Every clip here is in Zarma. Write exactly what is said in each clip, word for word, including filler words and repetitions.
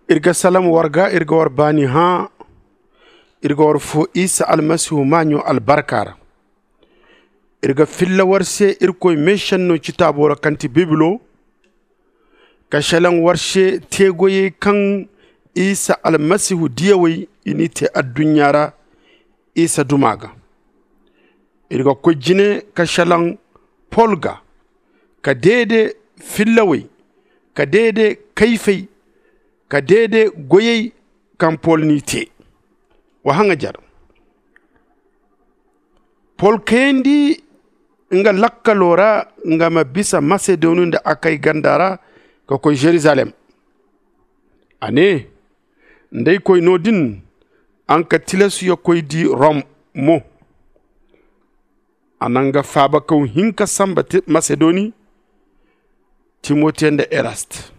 Iri ga salaŋ war ga, iri ga war baani hã. Iri ga war foo isa almasihu maaɲo albarka ra. Iri ga filla war se irkoy meešenno citaabo ra kaŋ ti bibilo, ka šelaŋ war se teegoyey kaŋ isa almasihu diyawey i n'i tee adduɲɲa ra isa duma ga. Iri ga koy jine ka šelaŋ pol ga, ka deede fillawey, ka deede kayfey, ka deede goyey kaŋ pol n'i tee. Wa haŋajer pol kayandi nga lakkalo ra, nga ma bisa masedoni nda akay ganda ra, ka koy žerizalem. A nee, nda ay koy no-din, a nga ka tilasu ya koy di rom mo. A na nga faabakaw hinka sanba masedoni, timote nda erast.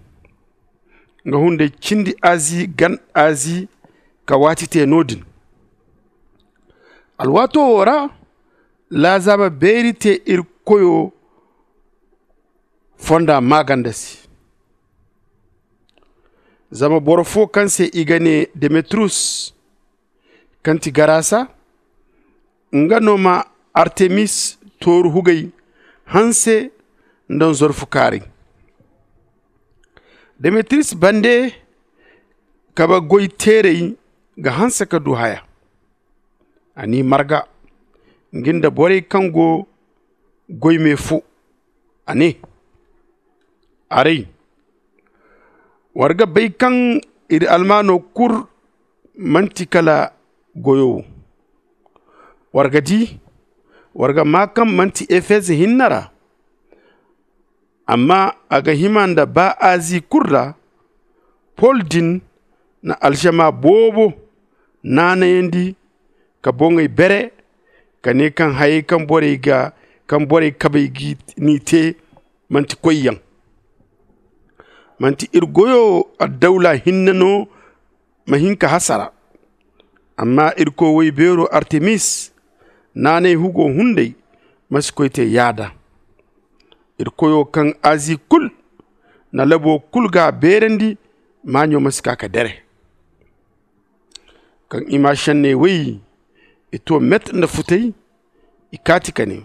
Nga hunday cindi azi gan azi ka waati tee no-din. Alwaato woo ra, laazaaba beeri tee iri koyo fonda maaganda se. Zama boro foo kaŋ se i ga nee demetriyus, kaŋ ti garasa, nga no ma artemis tooru hugay hanse nda nzorfu kaaray. Demetriyus bande kabe goy teerey ga hanse ka du haya. A n'i marga, nga nda borey kaŋ go goy me fo. A nee, aray, war ga bay kaŋ iri almaano kul man'ti kala goyo wo. War ga di, war ga maa kaŋ man'ti efez hinne ra. Amma a ga hima nda baa azi kul ra. Pol din na alžama boobo naanayandi ka boŋey bere, ka nee kaŋ hayey kaŋ borey ga kaŋ borey kabey g'i n'i tee, man'ti koyyaŋ. Man'ti iri goyo addawla hinne no ma hin ka hasara. Amma irkoy woy beero artemis naanay hugo hunday ma si koy te yaada. Iri koyo kaŋ azi kul na labo kul ga a beerandi, maaɲo ma si kaa ka dere. Kaŋ i ma šenney woy, i to met nda futay. I kaati ka ne,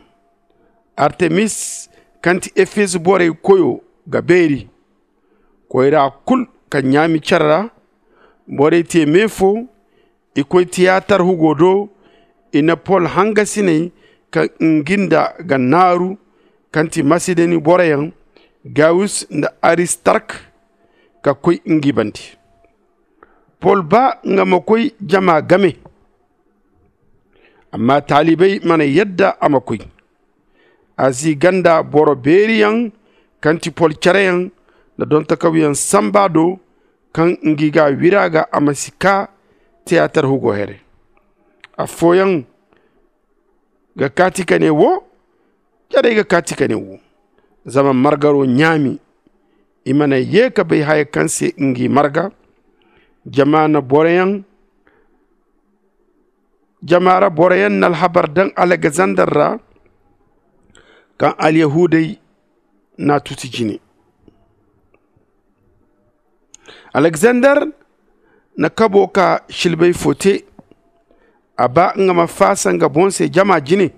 artemis kaŋ ti efez borey koyo ga beeri. Koyra kul kaŋ ɲaami cere ra, borey te me fo. I koy tiyatar hugo do. I na pol hangasiney kaŋ ngi nda ga naaru, kaŋ ti masedoni boroyaŋ, gayus nda aristark, ka koy ngi bande. Pol baa nga ma koy jama game. Amma taalibey mana yadda a ma koy. Azi ganda boro beeriyaŋ kaŋ ti pol cereyaŋ nda dontakawyaŋ samba do, kaŋ ngi ga wira ga a ma si kaa tiyatar hugo here. Affooyaŋ ga kaati ka ne wo, carey ga kaati ka ne wo. Zama margaro ɲaami, i mana ye ka bay haya kaŋ se ngi marga. Jama na boroyaŋ jama ra boroyaŋ na alhabar daŋ alexander ra, kaŋ alyahudey n'a tuti jine. Alexander na kabo ka silbay fo te. A ba nga ma faasa nga boŋ se jama jine.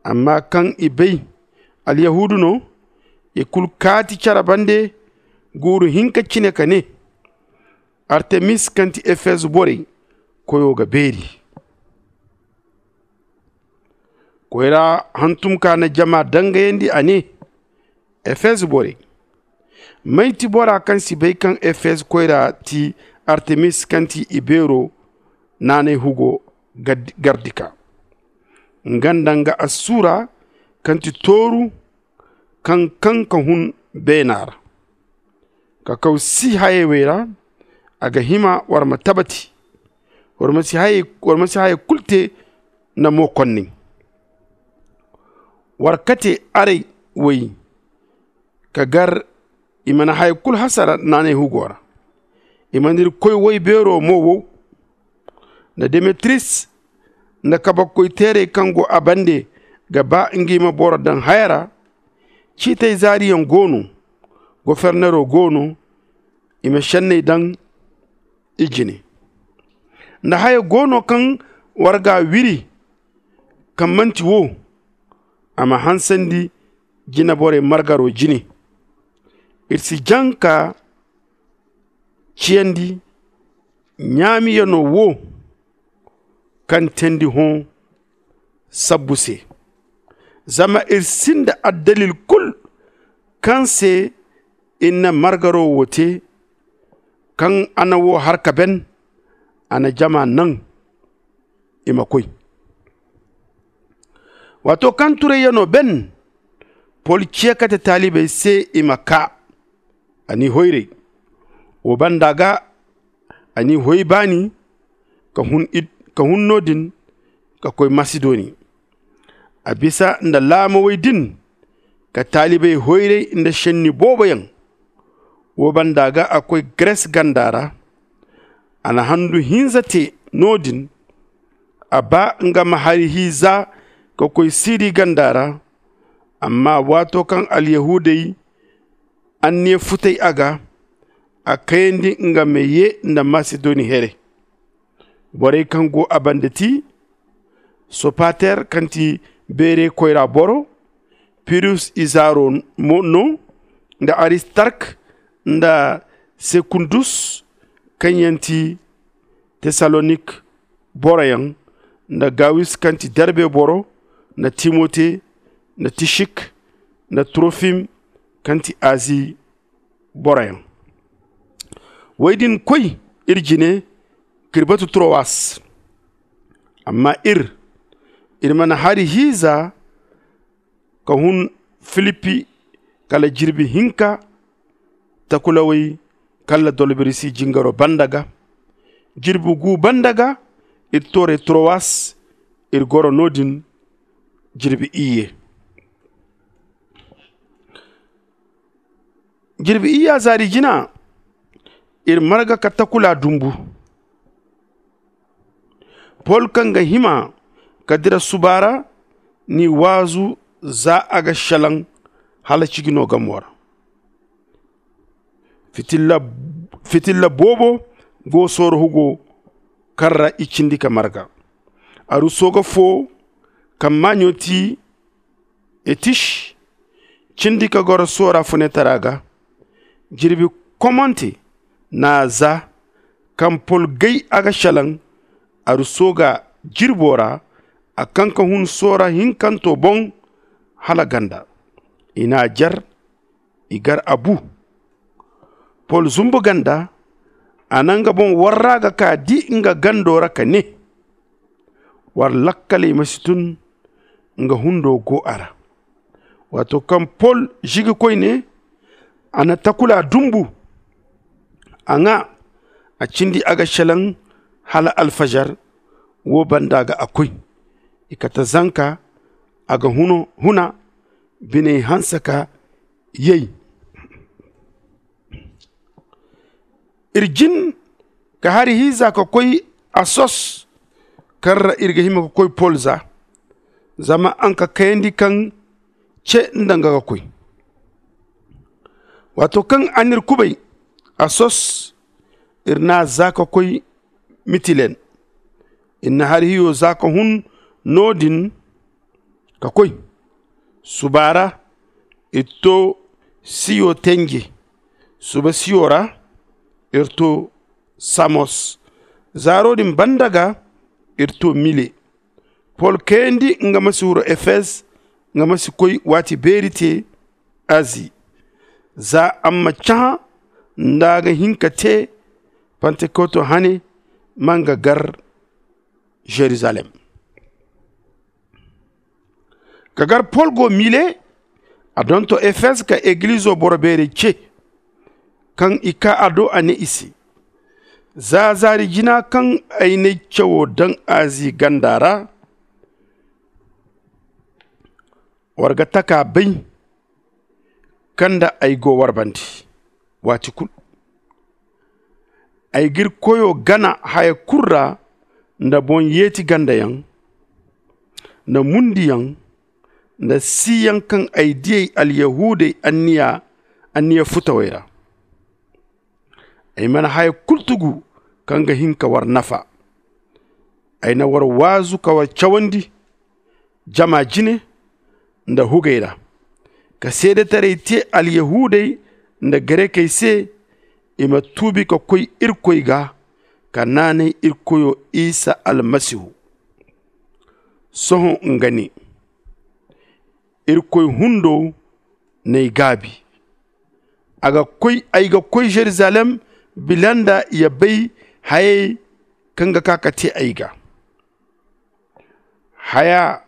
Amma kaŋ i bay alyahudu no, i kulu kaati care bande guuru hinka cine ka ne, artemis kaŋ ti efez borey koyo ga beeri. Koyra hantum ka na jama dangayandi, a ne, efez borey, may ti bora kaŋ si bay kaŋ efez koyra ti artemis kaŋ ti ibeero naanay hugo gardika? Nga nda nga assura kaŋ ti tooru kaŋ kaŋ ka hun beena ra ka kaw si hayey wey ra. A ga hima war ma tabati, war ma si hayey kulu te nda mo konney. War kate arey woy ka gar i mana haya kulu hasara naanay hugo ra. I mana iri koy woy beero mo wow. Nda demetris nda kabakoy teerey kaŋ go a bande ga ba ngi ma boro daŋ haya ra. Ciitey zaariyaŋ go no, gofernero go no. I ma šenney daŋ i jine. Nda haya go no kaŋ war ga a wiri kaŋ man'ti wo, a ma hansandi jineborey margaro jine. Iri si jaŋ ka ciyandi ɲaamiyano wo kaŋ teendi hõ sabbu se. Zama iri sinda addalil kul kaŋ se iri na margaro wo te. Kaŋ a na wo har ka ben, a na jama naŋ i ma koy. Waato kaŋ turayyano ben, pol ce kate taalibey se i ma kaa. A n'i hoyray. Wo banda ga a n'i hoy baani ka hun no-din ka koy masidoni. A bisa nda laamawey din ka taalibey hoyray nda šenni booboyaŋ. Wo banda ga a koy gres ganda ra. A na handu hinza te no-din. A ba nga ma hari hi za ka koy siri ganda ra. Amma waato kaŋ alyahuudey anniya futay a ga, a kayandi nga ma ye nda masidoni here. Borey kaŋ go a banda ti sopater kaŋ ti beere koyra boro, pirus izaaro no, nda aristark nda sekundus kaŋ yaŋ ti tesalonik boroyaŋ, nda gawis kaŋ ti derbe boro, nda timote, nda tishik, nda trofim kaŋ ti azi boroyaŋ. Wey din koy iri jine k'iri batu trowas. Amma iri iri mana hari hiiza ka hun filipi kala jirbi hinka. Takulawey kala dolbirisi jingaro banda ga jirbi gu banda ga iri tooray trowas. Iri goro no-din jirbi iyye. Jirbi iyya zaari jina iri marga ka takula dumbu. Pol kaŋ ga hima ka dira suba ra n'i waazu za a ga šelaŋ hala ciji no gamo ra. Fitilla boobo go sooro hugo kaŋ ra i cindi ka marga. Aruso ga fo kaŋ maaɲo ti etis cindi ka goro soora funetara ga. Jirbi komante n'a za kaŋ pol gay a ga šelaŋ aruso ga jirbo ra. A kaŋ ka hun soora hinkanto boŋ hala ganda. I n'a jer i gar a bu. Pol zumbu ganda a na nga boŋ warra ga ka di nga gando ra ka ne, war lakkaley ma si tun nga hundo go a ra. Waato kaŋ pol žigi koyne a na takula dumbu. A ŋwa a cindi a ga šelaŋ hala alfažar. Wo banda ga a koy i kate zanka a ga huna biney hanse ka yay. Iri jin ka hari hiiza ka koy asos kaŋ ra iri ga hima ka koy pol za. Zama a nga kayandi kaŋ ce nda nga ga koy. Waato kaŋ a n'iri kubay asos iri n'a za ka koy mitilen. Iri na hari hiyo za ka hun no-din ka koy. Suba ra iri to siyo tenje. Suba siyo ra iri to samos. Zaaro din banda ga iri to mile. Pol kayandi nga ma si huru efez nga ma si koy waati beeri te azi. Za a ma cahã nda a ga hin ka te pantekoto hane ma nga gar žerizalem. Ka gar pol go mile a donto efez ka egilizo boro beerey ce. Kaŋ i kaa a do a ne i se, za zaari jina kaŋ ay n'ay cawo daŋ azi ganda ra, war ga taka bay kaŋ nda ay go war bande waati kulu. Ay g'iri koyo gana haya kulu ra nda boŋ-yeeti gandayaŋ, nda mundiyaŋ, nda siiyaŋ kaŋ ay diyey alyahuudey anniya futawey ra. Ay mana haya kulu tugu kaŋ ga hin ka war nafa. Ay na war waazu ka war cawandi jama jine nda hugey ra, ka seedetaray te alyahuudey nda garekey se, i ma tuubi ka koy irkoy ga, ka naanay irkoyo isa almasihu. Sohõ nga ne, irkoy hundo n'ay gaabi. Ay ga koy jerizalem bila nda ya bay hayey kaŋ ga ka ka te ay ga. Haya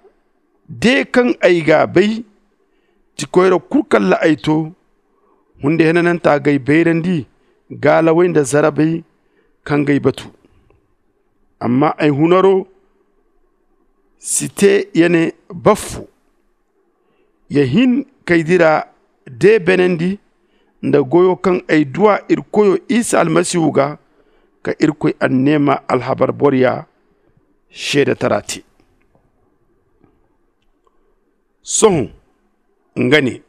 de kaŋ ay g'a bay, ti koyra kulu kaŋ ra ay to, hunde henananta g'ay bayrandi gaalawey nda zarabey kaŋ g'ay batu. Amma ay hunaro si te ya ne baffo. Ya hin k'ay dira de beenandi nda goyo kaŋ ay du a irkoyo isa almasihu ga, ka irkoy anneema alhabar boroya seedatara te. Sohõ nga ne,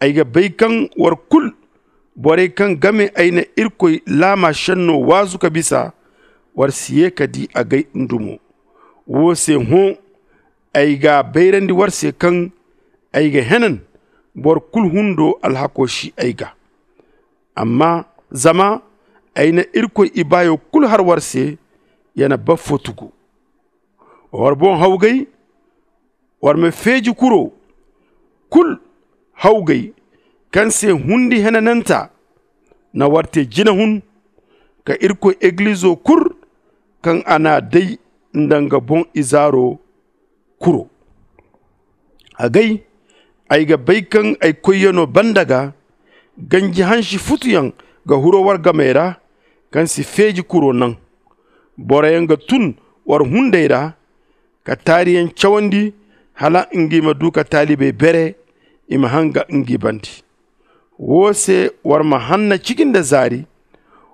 ay ga bay kaŋ war kulu, borey kaŋ game ay na irkoy laama senno waazu ka bisa, war si ye ka di agay ndumo. Wo se hõ, ay g'a bayrandi war se kaŋ ay ga henan boro kulu hundo alhako si ay ga. Amma zama ay na irkoy ibaayo kulu har war se, ya na baffo tugu. War boŋ hawgay, war ma feeji kuro kulu hawgay, kaŋ se hundi henananta na war te jina hun, ka irkoy egilizo kulu kaŋ a n'a day nda nga boŋ izaaro kuro. Agay, ay ga bay kaŋ ay koyyano banda ga ganji hansi futuyaŋ ga huro war gamey ra, kaŋ si feeji kuro naŋ. Boroyaŋ ga tun war hunday ra, ka taariyaŋ cawandi, hala ngi ma du ka taalibey bere, i ma hanga ngi bande. Wo se war ma hanna ciki nda zaari,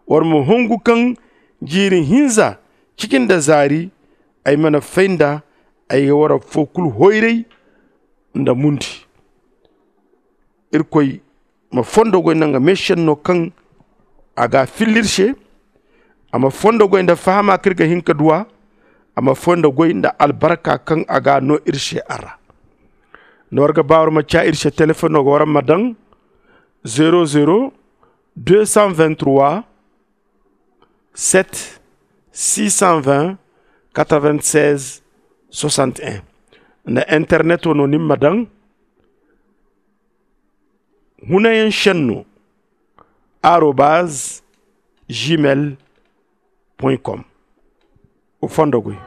war ma hongu kaŋ jiiri hinza ciki nda zaari, ay mana fay nda ay ga war affo kulu hoyray nda mundi. Irkoy ma fondo goy nda nga meesenno kaŋ a g'a filla iri se. A ma fondo goy nda fahama kaŋ iri ga hin ka du a. A ma fondo goy nda albarka kaŋ a g'a no iri se a ra. Nda war ga ba war ma ca iri se telefoŋo ga war ma daŋ zero zero deux cent vingt trois, sept six cent vingt quatre vingt seize soixante un. Nda internet wo no ni ma daŋ hunayaŋ senno arobaz gmail com. Wa fondo goy.